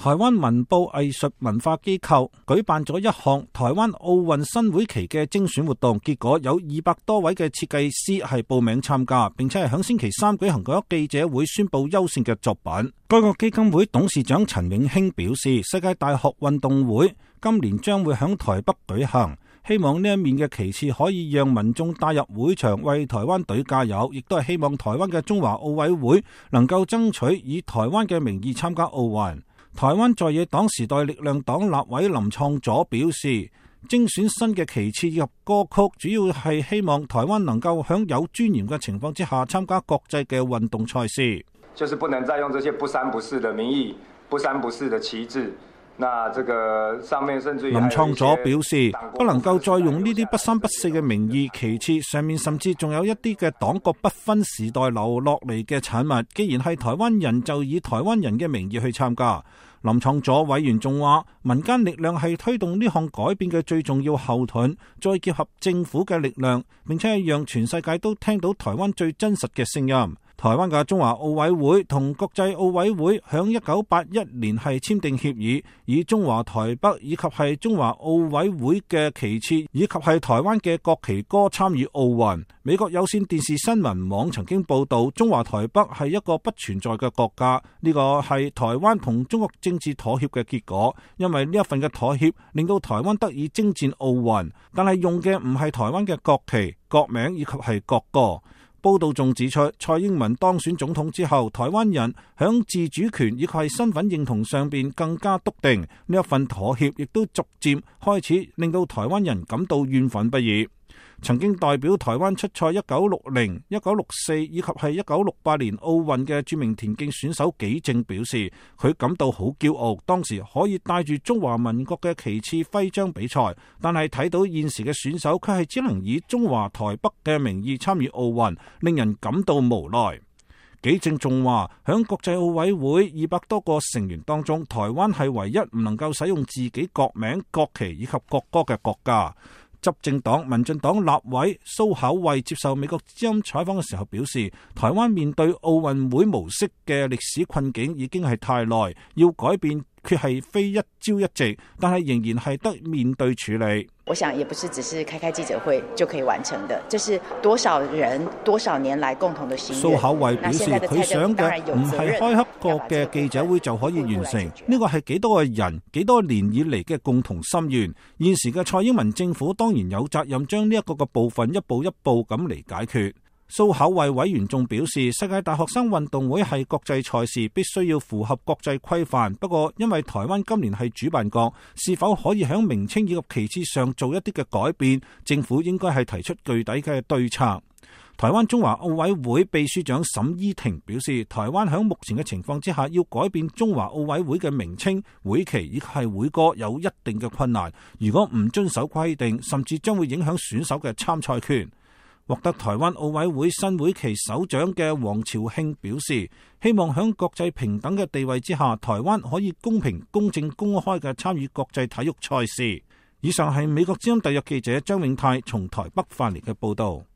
台灣文報藝術文化機構舉辦咗一項台灣奧運新會期嘅精選活動，結果有200多位嘅設計師係報名參加，並且係響星期三舉行咗記者會宣布優勝嘅作品。該個基金會董事長陳永興表示，世界大學運動會今年將會響台北舉行，希望呢一面嘅旗幟可以讓民眾帶入會場為台灣隊加油，亦都係希望台灣嘅中華奧委會能夠爭取以台灣嘅名義參加奧運。台灣在野黨時代力量黨立委林創佐表示，精選新嘅旗幟及歌曲，主要係希望台灣能夠喺有尊嚴嘅情況之下參加國際嘅運動賽事。就是不能再用這些不三不四的名義、不三不四的旗幟。那這個上面甚至於林創佐表示，不能夠再用呢啲不三不四嘅名義旗幟，上面甚至仲有一啲嘅黨國不分時代留落嚟嘅產物。既然係台灣人，就以台灣人嘅名義去參加。林創佐委員仲話，民間力量係推動呢項改變嘅最重要後盾，再結合政府嘅力量，並且係讓全世界都聽到台灣最真實嘅聲音。台灣嘅中華奧委會同國際奧委會響1981年係簽訂協議，以中華台北以及係中華奧委會嘅旗幟以及係台灣嘅國旗歌參與奧運。美國有線電視新聞網曾經報道，中華台北係一個不存在嘅國家，呢個係台灣同中國政治妥協嘅結果，因為呢一份嘅妥協令到台灣得以征戰奧運，但係用嘅唔係台灣嘅國旗、國名以及係國歌。報道仲指出，蔡英文當選總統之後，台灣人響自主權以及係身份認同上邊更加篤定，呢一份妥協亦都逐漸開始令到台灣人感到怨憤不已。曾經代表台灣出賽1960、1964以及係1968年奧運嘅著名田徑選手紀正表示，佢感到好驕傲，當時可以帶住中華民國嘅旗幟徽章比賽，但係睇到現時嘅選手，佢係只能以中華台北嘅名義參與奧運，令人感到無奈。紀正仲話，響國際奧委會200多個成員當中，台灣係唯一唔能夠使用自己國名、國旗以及國歌嘅國家。執政黨民進黨立委蘇巧慧接受美國之音採訪嘅時候表示，台灣面對奧運會模式嘅歷史困境已經係太耐，要改變卻係非一朝一夕，但係仍然係得面對處理。我想也不是只是開記者會就可以完成的，這是多少人多少年來共同的心願。蘇巧慧表示，佢想嘅唔係開個嘅記者會就可以完成，呢個係幾多個人幾多年以嚟嘅共同心願。現時嘅蔡英文政府當然有責任將呢一個嘅部分一步一步咁嚟解決。蘇巧慧委員仲表示，世界大學生運動會係國際賽事，必須要符合國際規範。不過因為台灣今年係主辦國，是否可以喺名稱以及旗幟上做一啲嘅改變，政府應該係提出具體嘅對策。台灣中華奧委會秘書長沈依婷表示，台灣喺目前嘅情況之下，要改變中華奧委會嘅名稱、會旗以及係會歌有一定嘅困難。如果唔遵守規定，甚至將會影響選手嘅參賽權。獲得台灣奧委會新會旗首獎嘅黃朝慶表示，希望喺國際平等嘅地位之下，台灣可以公平、公正、公開嘅參與國際體育賽事。以上係美國之音特約記者張永泰從台北發嚟嘅報道。